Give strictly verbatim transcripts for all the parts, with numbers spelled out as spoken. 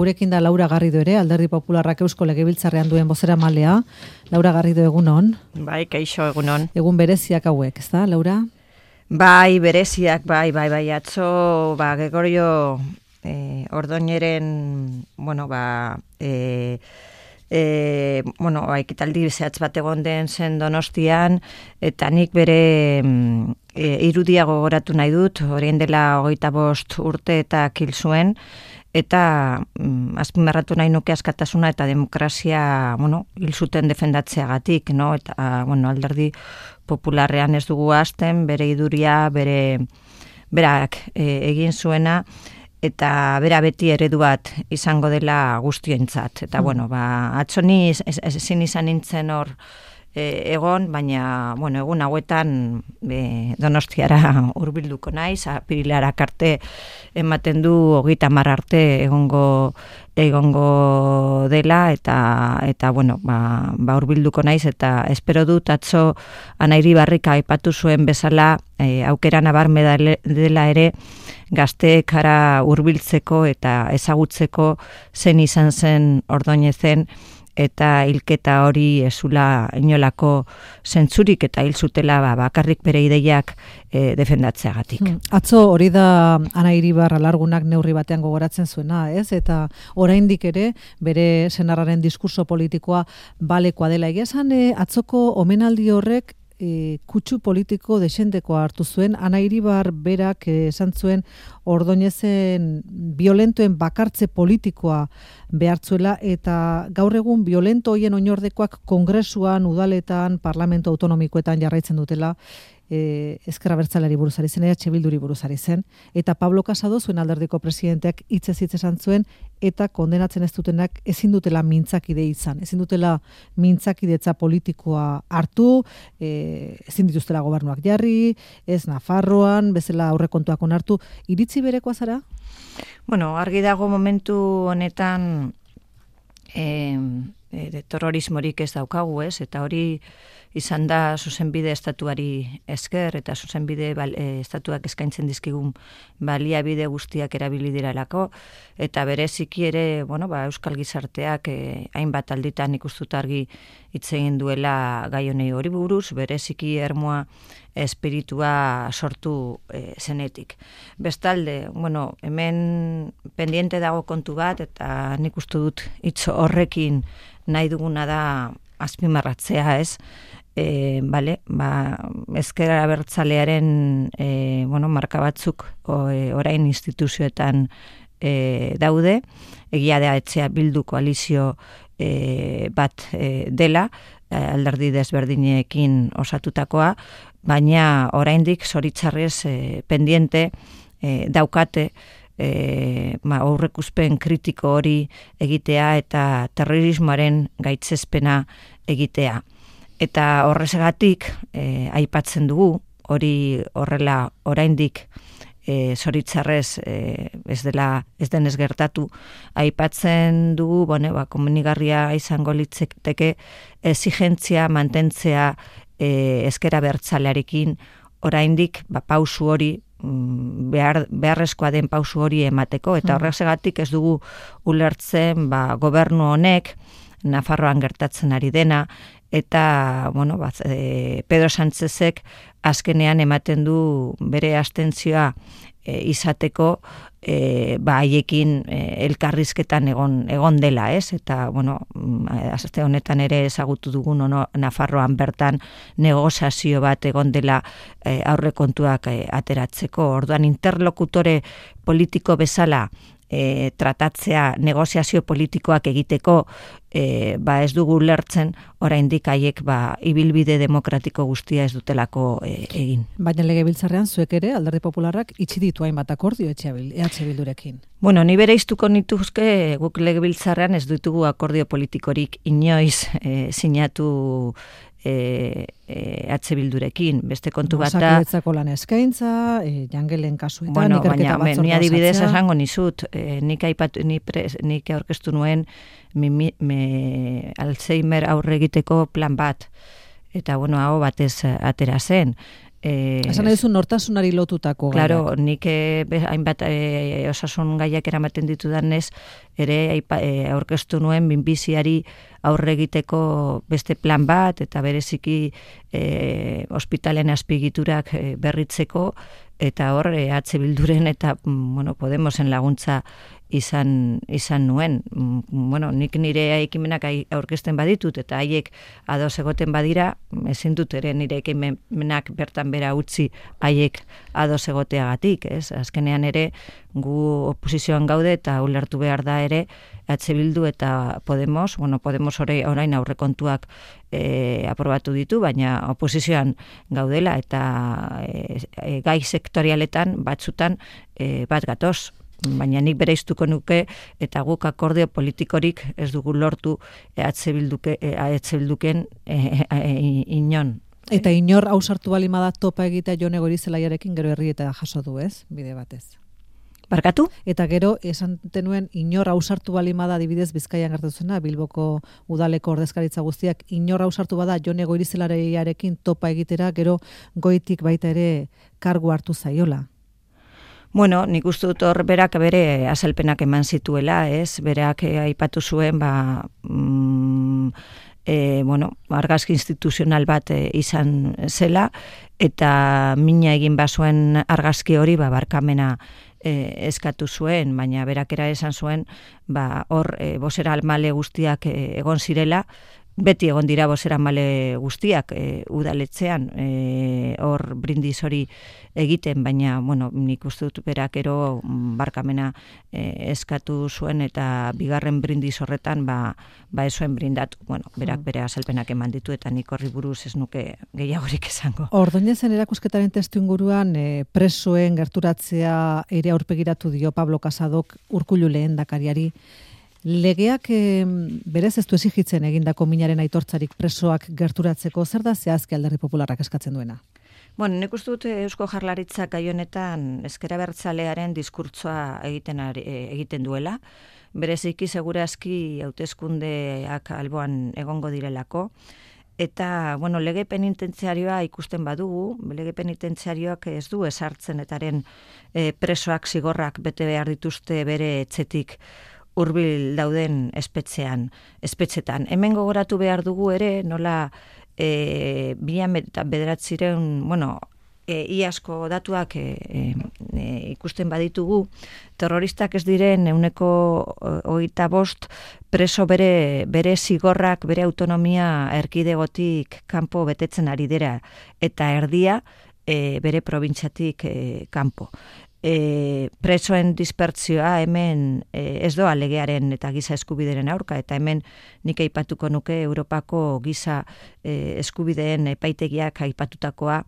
Gurekin da Laura Garrido ere, Alderdi Popularrak Eusko Legebiltzarrean duen bozeramalea. Laura Garrido, egunon. Bai, kaixo, egunon. Egun bereziak hauek, ez da, Laura? Bai, bereziak, bai, bai, bai, atzo, ba, Gregorio eh, Ordoñeren, bueno, ba, eh, eh, bueno, ba, ekitaldi zehatz bat egon den zen Donostian, eta nik bere e, irudia gogoratu nahi dut, orain dela hogeita bost urte eta kil zuen, eta mm, azpimarratu nahi nuke askatasuna eta demokrazia, bueno, hil zuten defendatzeagatik, no? Eta, bueno, Alderdi Popularrean ez dugu hasten, bere iduria, bere berak e, egin zuena, eta bera beti eredu bat izango dela guztientzat. Eta, mm. bueno, ba, atzo ni ezin izan nintzen hor E, egon, baina, bueno, egun hauetan e, Donostiara hurbilduko naiz, apirilarak arte ematen du hogeita hamar arte egongo egongo dela, eta eta bueno, ba, ba hurbilduko naiz, eta espero dut atzo Ana Iribarrik aipatu zuen bezala e, aukera nabarme dela ere gazteekara hurbiltzeko eta ezagutzeko zen izan zen Ordoñezen, eta hilketa hori ezula inolako zentzurik eta hil zutela ba, bakarrik bere ideiak e, defendatzeagatik. Hmm. Atzo hori da Ana Iribar alargunak neurri batean gogoratzen zuena, ez? Eta oraindik ere bere senarraren diskurso politikoa balekoa dela. Egia esan, e, atzoko omenaldi horrek E, kutsu politiko desentekoa hartu zuen. Ana Iribar berak e, esan zuen Ordoñezen violentoen bakartze politikoa behartzuela, eta gaur egun violento hoien oinordekoak kongresuan, udaletan, parlamento autonomikoetan jarraitzen dutela. E, Ezker Abertzaleari buruz ari zen, E H Bilduri buruz ari zen, eta Pablo Casado zuen alderdiko presidenteak hitzez hitz esan zuen, eta kondenatzen ez dutenak ezin dutela mintzakide izan, ezin dutela mintzakidetza politikoa hartu, e, ezin dituztela gobernuak jarri, ez Nafarroan, bezala aurrekontuak onartu. Iritzi berekoa zara? Bueno, argi dago momentu honetan e, e, terrorismorik ez daukagu, ez, eta hori izan da zuzenbide estatuari esker, eta zuzenbide bal, e, estatuak eskaintzen dizkigun baliabide guztiak erabili diralako, eta bereziki ere, bueno, ba, Euskal Gizarteak e, hainbat alditan ikustuta argi hitz egin duela gai honei hori buruz, bereziki ermoa espiritua sortu e, zenetik. Bestalde, bueno, hemen pendiente dago kontu bat, eta nik uste dut hitz horrekin nahi duguna da azpimarratzea, ez? E, vale, ba, Ezker Abertzalearen e, bueno, marka batzuk o, e, orain instituzioetan e, daude, egia da etxea Bildu koalizio e, bat e, dela, e, alderdi desberdinekin osatutakoa, baina oraindik zoritzarrez e, pendiente e, daukate E, ma, aurreikuspen kritiko hori egitea eta terrorismoaren gaitzespena egitea. Eta horrezagatik e, aipatzen dugu, hori horrela oraindik e, zoritzarrez e, ez dela ez denez gertatu, aipatzen dugu, bueno, ba, komenigarria izango litzateke exigentzia mantentzea e, Ezker Abertzalearekin oraindik ba, pausu hori Behar, beharrezkoa den pausu hori emateko, eta horrexegatik ez dugu ulertzen ba, gobernu honek Nafarroan gertatzen ari dena, eta bueno, ba, e, Pedro Sánchezek azkenean ematen du bere abstentzioa e, izateko e, ba, haiekin e, elkarrizketan egon, egon dela, ez? Eta, bueno, aste honetan ere ezagutu dugun ono, Nafarroan bertan negoziazio bat egon dela e, aurrekontuak e, ateratzeko. Orduan interlokutore politiko bezala E, tratatzea, negoziazio politikoak egiteko e, ba ez dugu lertzen oraindik haiek ba ibilbide demokratiko guztia ez dutelako e, egin. Baina Legebiltzarrean zuek ere Alderdi Popularrak itxi ditu hainbat akordio E H Bildurekin. Bueno, ni bereiztuko nituzke guk Legebiltzarrean ez ditugu akordio politikorik inoiz e, sinatu E, e, H Bildurekin, beste kontu bat da. Osakidetzako lan eskaintza, e, jangelen kasuetan, bueno, ikerketa batzordea. Ni adibidez esango nizut, e, nik aipatu, ni pres, nik aurkeztu nuen mi, mi, me, Alzheimer aurre egiteko plan bat, eta bueno, hau batez atera zen. E, Esan nahi duzu nortasunari lotutako gaiak. Claro, nik e, hainbat e, osasun gaiak eramaten ditudanez, ere aipa, e, aurkeztu nuen minbiziari aurre egiteko beste plan bat, eta bereziki e, ospitalen azpigiturak e, berritzeko, eta hor e, H Bilduren eta bueno, Podemosen laguntza izan izan nuen. Bueno, nik nire ekimenak aurkezten baditut eta haiek ados egoten badira, ezin dut ere nire ekimenak bertan bera utzi haiek ados egoteagatik, ez? Azkenean ere gu oposizioan gaude eta ulertu behar da ere H Bildu eta Podemos, bueno, Podemos orain aurrekontuak e, aprobatu ditu, baina oposizioan gaudela eta e, e, gai sektorialetan batzutan e, bat gatoz. Baina nik bereiztuko nuke eta guk akordio politikorik ez dugu lortu H Bilduke, H Bilduken e, e, inon. Eta inor ausartu balima da topa egitea Jone Goirizelaiarekin gero herrieta jaso du, ez? Bide batez. Barkatu? Eta gero, esan tenuen, inor ausartu balima da adibidez Bizkaian gertatzen Bilboko udaleko ordezkaritza guztiak, inor ausartu bada Jone Goirizelaiarekin topa egitera gero goitik baita ere kargu hartu zaiola. Bueno, nik uste dut hor berak bere azalpenak eman zituela, ez? Berak aipatu zuen, ba, mm, e, bueno, argazki instituzional bat e, izan zela, eta mina egin bazuen argazki hori, ba, barkamena e, eskatu zuen, baina berak era esan zuen, ba, hor e, bozera almale guztiak e, egon zirela, beti egon dira bozera male guztiak e, udaletzean, e, hor brindis hori egiten, baina, bueno, nik uste dut berak ero barkamena e, eskatu zuen eta bigarren brindis horretan, ba, ba ez zuen brindatu. Bueno, berak bere azalpenak eman ditu eta nik horri buruz ez nuke gehiagorik esango. Ordoñezen erakusketaren testu inguruan e, presoen gerturatzea ere aurpegiratu dio Pablo Casadok Urkullu lehendakariari. Legeak e, berez ez du exigitzen egindako minaren aitortzarik presoak gerturatzeko, zer da zehazki Alderdi Popularrak eskatzen duena? Bueno, nik uste dut Eusko Jaurlaritzak gai honetan ezker abertzalearen diskurtsoa egiten ari, egiten duela. Bereziki segurazki hauteskundeak alboan egongo direlako. Eta, bueno, lege penitentziarioa ikusten badugu, lege penitentziarioak ez du esartzen etaren e, presoak zigorrak bete behar dituzte bere etxetik hurbil dauden espetxean, espetxetan. Hemen gogoratu behar dugu ere, nola e, bian bederatzireun, bueno, e, iazko datuak e, e, ikusten baditugu, terroristak ez diren euneko hogeita bost preso bere, bere zigorrak, bere autonomia erkidegotik kanpo betetzen ari dira, eta erdia e, bere probintziatik e, kanpo. E, presoen dispertsioa hemen e, ez doa legearen eta giza eskubideren aurka, eta hemen nik aipatuko nuke Europako giza e, eskubideen epaitegiak aipatutakoa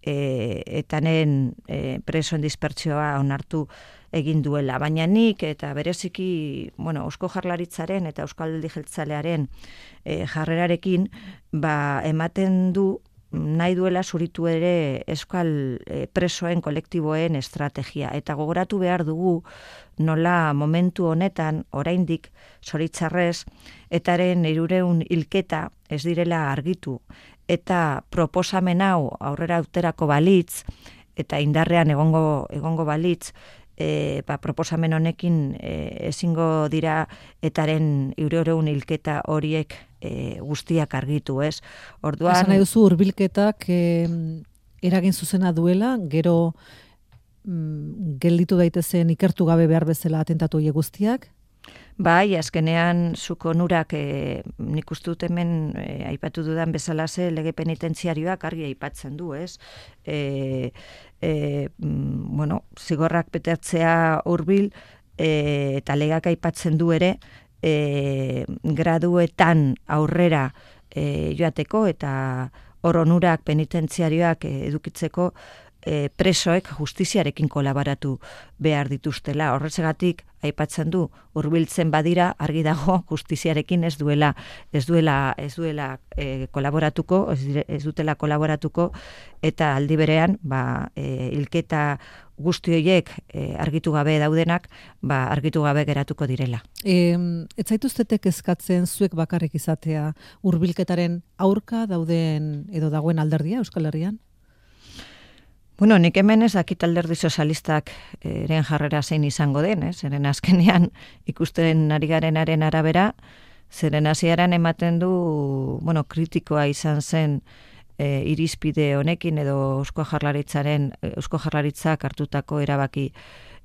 e, eta nen e, presoen dispertsioa onartu egin duela. Baina nik eta bereziki, bueno, Eusko Jaurlaritzaren eta Euskal Alderdi Jeltzalearen e, jarrerarekin ba, ematen du nahi duela zuritu ere euskal presoen kolektiboen estrategia. Eta gogoratu behar dugu nola momentu honetan, oraindik zoritzarrez, etaren hirureun hilketa ez direla argitu. Eta proposamen hau aurrera uterako balitz, eta indarrean egongo, egongo balitz, E, ba, proposamen honekin e, ezingo dira etaren hirureun hilketa horiek e, guztiak argitu, ez? Orduan, esan nahi duzu hurbilketak e, eragin zuzena duela, gero mm, gelditu daitezen ikertu gabe behar bezala atentatu horiek guztiak? Bai, azkenean zuko onurak e, nik uste dut hemen e, aipatu dudan bezalaze lege penitentziarioak argi aipatzen du, ez? E, e, bueno, zigorrak betetzea hurbil e, eta legak aipatzen du ere e, graduetan aurrera e, joateko eta hor onurak penitentziarioak e, edukitzeko E, presoek justiziarekin kolaboratu behar dituztela. Horrezegatik aipatzen du hurbiltzen badira argi dago justiziarekin ez duela ez duela ez duela e, kolaboratuko, ez, dire, ez dutela kolaboratuko eta aldi berean ba e, hilketa guzti horiek e, argitu gabe daudenak, ba argitu gabe geratuko direla. E, ez zaituztetek eskatzen zuek bakarrik izatea hurbilketaren aurka dauden edo dagoen alderdia Euskal Herrian? Bueno, nik hemen ez dakit alderdi sozialistak eren jarrera zein izango den, ez? Zeren azkenean ikusten ari garenaren arabera, zeren hasieran ematen du, bueno, kritikoa izan zen e, irizpide honekin edo Eusko Jaurlaritzaren Eusko Jaurlaritzak hartutako erabaki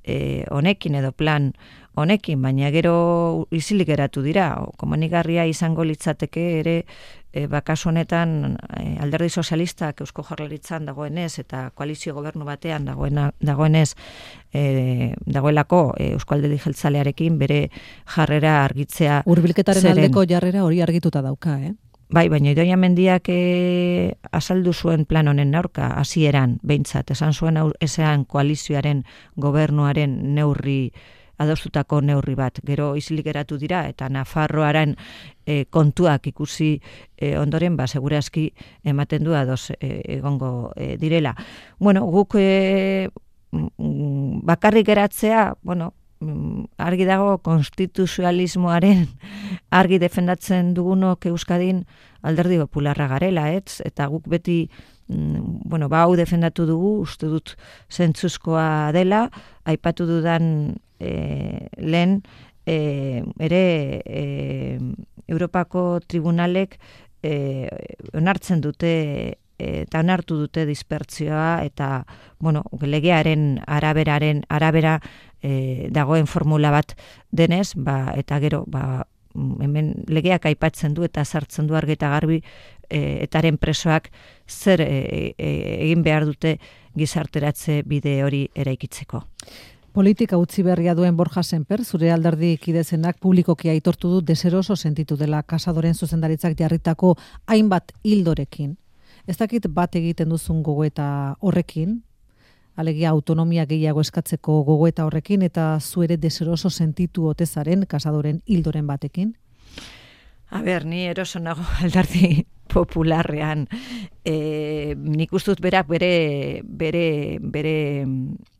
e, honekin edo plan honekin, baina gero isilik geratu dira. Komenigarria izango litzateke ere e, bakasu honetan e, alderdi sozialistak Eusko Jaurlaritzan dagoenez eta koalizio gobernu batean dagoena, dagoenez e, dagoelako e, Eusko Alderdi Jeltzalearekin bere jarrera argitzea. Hurbilketaren zeren, aldeko jarrera hori argituta dauka, eh? Bai, baina Idoia Mendiak e, azaldu zuen plan honen aurka, hasieran behintzat, esan zuen esan koalizioaren gobernuaren neurri adostutako neurri bat. Gero isilik geratu dira eta Nafarroaren e, kontuak ikusi e, ondoren, ba, segurazki ematen du ados e, egongo e, direla. Bueno, guk e, bakarrik geratzea, bueno, argi dago konstituzionalismoaren argi defendatzen dugunok Euskadin alderdi popularra garela, ez? Eta guk beti bueno, ba hau defendatu dugu, uste dut zentzuzkoa dela, aipatu dudan e, lehen e, ere e, Europako tribunalek e, onartzen dute eta onartu dute dispertzioa eta bueno, legearen araberaren arabera e, dagoen formula bat denez, ba, eta gero ba, hemen legeak aipatzen du eta sartzen du argi eta garbi e, etaren presoak zer e, e, egin behar dute gizarteratze bide hori eraikitzeko. Politika utzi berria duen Borja Semper, zure alderdi kidezenak publikoki aitortu du deseroso sentitu dela Kasadoren zuzendaritzak jarritako hainbat hildorekin. Ez dakit bat egiten duzun gogoeta horrekin, alegia autonomia gehiago eskatzeko gogoeta horrekin, eta zu ere deseroso sentitu otezaren Kasadoren hildoren batekin? A ber, ni eroso nago alderdi popularrean. E, nik ustut berak bere, bere, bere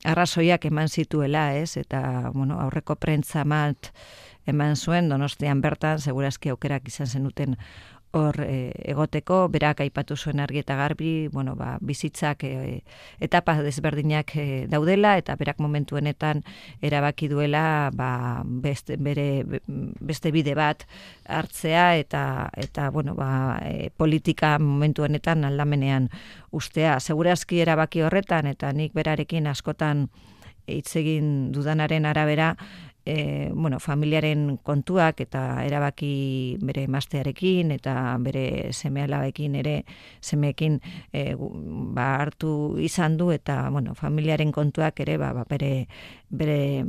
arrazoiak eman zituela, ez? Eta, bueno, aurreko prentza mat eman zuen, Donostian bertan, segurazki aukerak izan zenuten hor e, egoteko, berak aipatu zuen argi eta garbi, bueno, ba, bizitzak e, etapa desberdinak e, daudela, eta berak momentu honetan erabaki duela ba, beste, bere, beste bide bat hartzea, eta, eta bueno, ba, e, politika momentu honetan aldamenean ustea. Segurazki erabaki horretan, eta nik berarekin askotan hitz egin dudanaren arabera, E, bueno, familiaren kontuak eta erabaki bere emaztearekin eta bere seme-alabekin ere semeekin e, ba, hartu izan du eta bueno, familiaren kontuak ere ba, ba, bere bere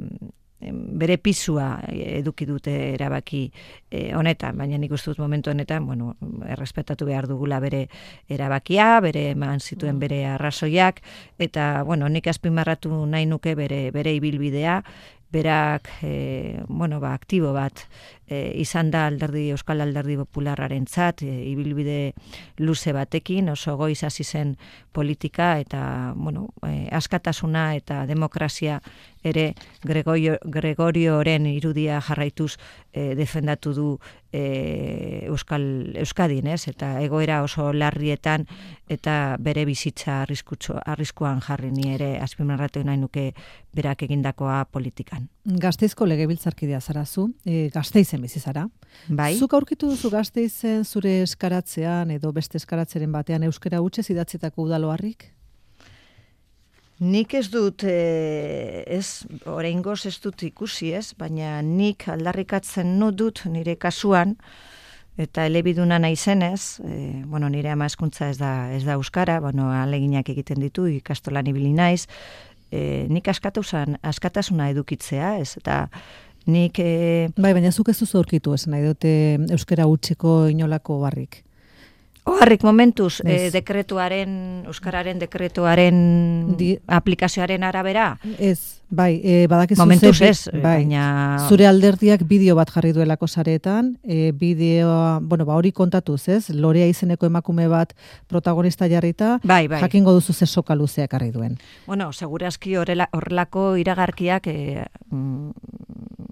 bere pisua eduki dute erabaki e, honetan, baina nik uste dut momentu honetan, bueno, errespetatu behar dugula bere erabakia, bere eman zituen bere arrazoiak, eta bueno, nik azpimarratu nahi nuke bere bere ibilbidea, berak e, bueno, ba, aktibo bat e, izan da alderdi Euskal Alderdi Popularrarentzat, e, ibilbide luze batekin, oso goiz hasi zen politika eta bueno, e, askatasuna eta demokrazia ere Gregorio, Gregorioren irudia jarraituz e, defendatu du e, Euskal Euskadin, ez? Eta egoera oso larrietan eta bere bizitza arriskutsu, arriskuan jarri ni ere azpimarratu nahi nuke berak egindakoa politikan. Gasteizko legebiltzarkidea zara zu, e, Gasteizen bizi zara. Bai. Zuk aurkitu duzu Gasteizen zure eskaratzean edo beste eskaratzeren batean euskara hutsez idatzitako udaloharrik? Nik ez dut, e, ez, oraingoz ez dut ikusi, ez, baina nik aldarrikatzen nu dut nire kasuan, eta elebiduna naizenez, e, bueno, nire ama hezkuntza ez da, ez da euskara, bueno, aleginak egiten ditu, ikastolan ibili naiz, e, nik askatuzan, askatasuna edukitzea, ez, eta nik... E... Bai, baina zuk ez duzu aurkitu, ez nahi dute euskara hutseko inolako barrik. Oharrik momentuz, eh, dekretuaren, euskararen dekretuaren Di... aplikazioaren arabera? Ez, bai, e, badakizu momentuz ze, ez, bai, baina... Zure alderdiak bideo bat jarri duelako saretan, e, bideoa, bueno, ba, hori kontatuz, ez? Lorea izeneko emakume bat protagonista jarrita, bai, bai. Jakingo duzu ze soka luzeak jarri duen. Bueno, segurazki horrelako iragarkiak e,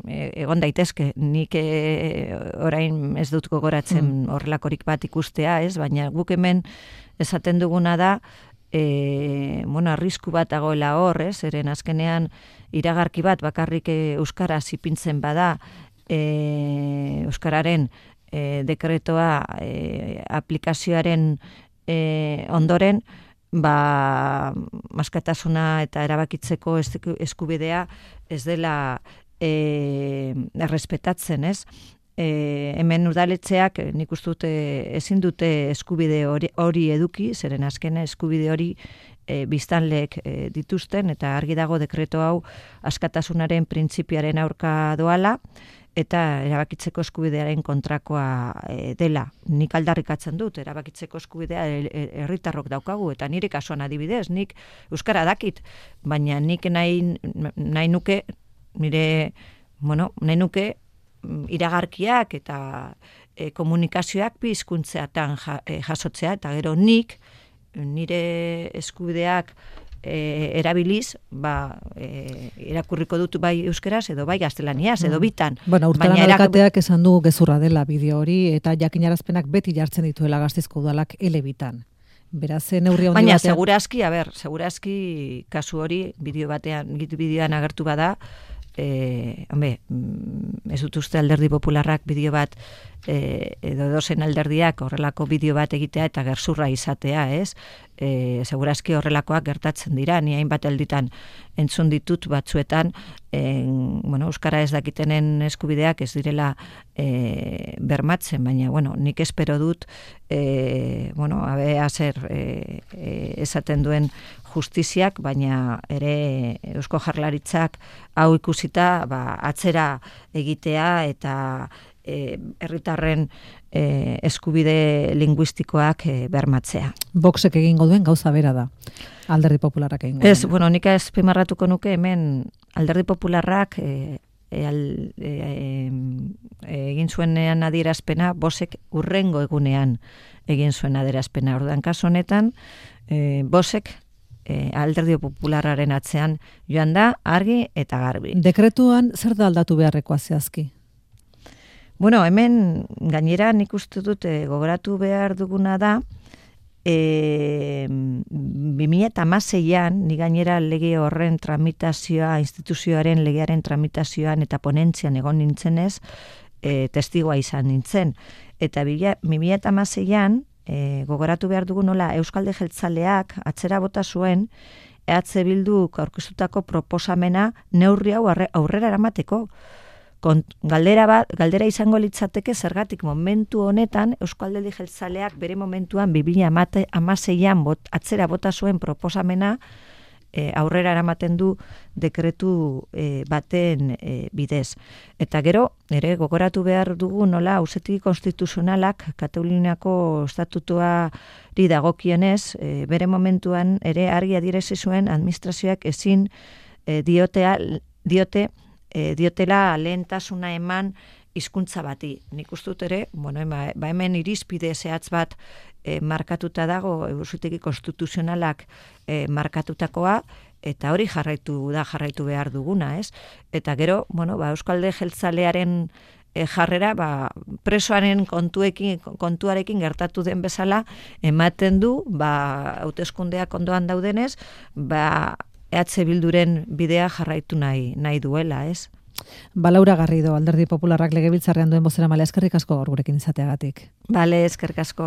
egon daitezke. Nik e, orain ez dut gogoratzen horrelakorik bat ikustea, ez? Baina guk hemen esaten duguna da e, bueno, arrisku bat dagoela hor, ez? Eren azkenean iragarki bat bakarrik euskaraz ipintzen bada, e, euskararen e, dekretoa e, aplikazioaren e, ondoren, ba, askatasuna eta erabakitzeko eskubidea ez dela e, errespetatzen, ez? E, hemen udaletxeak nik uste dute ezin dute eskubide hori, hori eduki, zeren azken eskubide hori e, biztanleek e, dituzten, eta argi dago dekreto hau askatasunaren printzipiaren aurka doala, eta erabakitzeko eskubidearen kontrakoa e, dela. Nik aldarrikatzen dut, erabakitzeko eskubidea herritarrok daukagu, eta nire kasuan adibidez, nik euskara dakit, baina nik nahi, nahi nuke, nire, bueno, nahi nuke iragarkiak eta e, komunikazioak bi hizkuntzeatan ja, e, jasotzea, eta gero nik nire eskubideak e, erabiliz, ba, e, irakurriko dut bai euskeraz edo bai gaztelaniaz, edo bitan. Bueno, Urtaran alkateak esan du gezurra dela bideo hori, eta jakinarazpenak beti jartzen dituela Gasteizko udalak elebitan. Beraz, neurri handi baina, batean... segurazki, a ber, segurazki kasu hori bideo batean, bideoan agertu bada, E, hombre, ez dut uste Alderdi Popularrak bideo bat e, edo dozen alderdiak horrelako bideo bat egitea eta gezurra izatea, ez? E, segurazki horrelakoak gertatzen dira, ni hainbat alditan entzun ditut batzuetan, en, bueno, euskara ez dakitenen eskubideak ez direla e, bermatzen, baina, bueno, nik espero dut, e, bueno, abea zer e, e, esaten duen justiziak, baina ere Eusko Jaurlaritzak hau ikusita, ba, atzera egitea eta e, herritarren e, eskubide linguistikoak e, bermatzea. Voxek egingo duen gauza bera da. Alderdi Popularrak egingo duen. Ez, bueno, nik azpimarratuko nuke hemen Alderdi Popularrak e, e, al, e, e, egin zuenean adierazpena, Bosek urrengo egunean egin zuen adierazpena. Orduan kasu honetan, e, Bosek E, Alderdi Popularraren atzean joan da argi eta garbi. Dekretuan zer da aldatu beharrekoa zehazki? Bueno, hemen gainera nik uste dut e, gogoratu behar duguna da, e, bi mila hamaseian, ni gainera lege horren tramitazioa, instituzioaren legearen tramitazioan eta ponentzian egon nintzenez, e, testigoa izan nintzen. Eta bi mila hamaseian, E, gogoratu behar dugu nola Euskalde Jeltzaleak atzera bota zuen E H Bilduk aurkeztutako proposamena neurri hau aurrera eramateko. Kont, galdera, bat, galdera izango litzateke zergatik momentu honetan Euskalde Jeltzaleak bere momentuan bi mila hamaseian bot, atzera bota zuen proposamena E, aurrera eramaten du dekretu e, baten e, bidez. Eta gero, ere gogoratu behar dugu nola auzitegi konstituzionalak Kataluniako estatutuari dagokienez, e, bere momentuan ere argi adierazi zuen administrazioak ezin e, diotea, diote, e, diotela lehentasuna eman hizkuntza bati. Nik uste dut ere, bueno, ba hemen irizpide zehatz bat e, markatuta dago, auzitegi konstituzionalak e, markatutakoa, eta hori jarraitu da jarraitu behar duguna, ez? Eta gero, bueno, ba, Euskalde Jeltzalearen e, jarrera, ba, presoaren kontuekin, kontuarekin gertatu den bezala, ematen du, ba, hauteskundeak ondoan daudenez, ba, E H Bilduren bidea jarraitu nahi, nahi duela, ez? Ba, Laura Garrido, Alderdi Popularrak legebiltzarrean duen bozeramailea, eskerrik asko gaur gurekin izateagatik. Bale, eskerrik asko.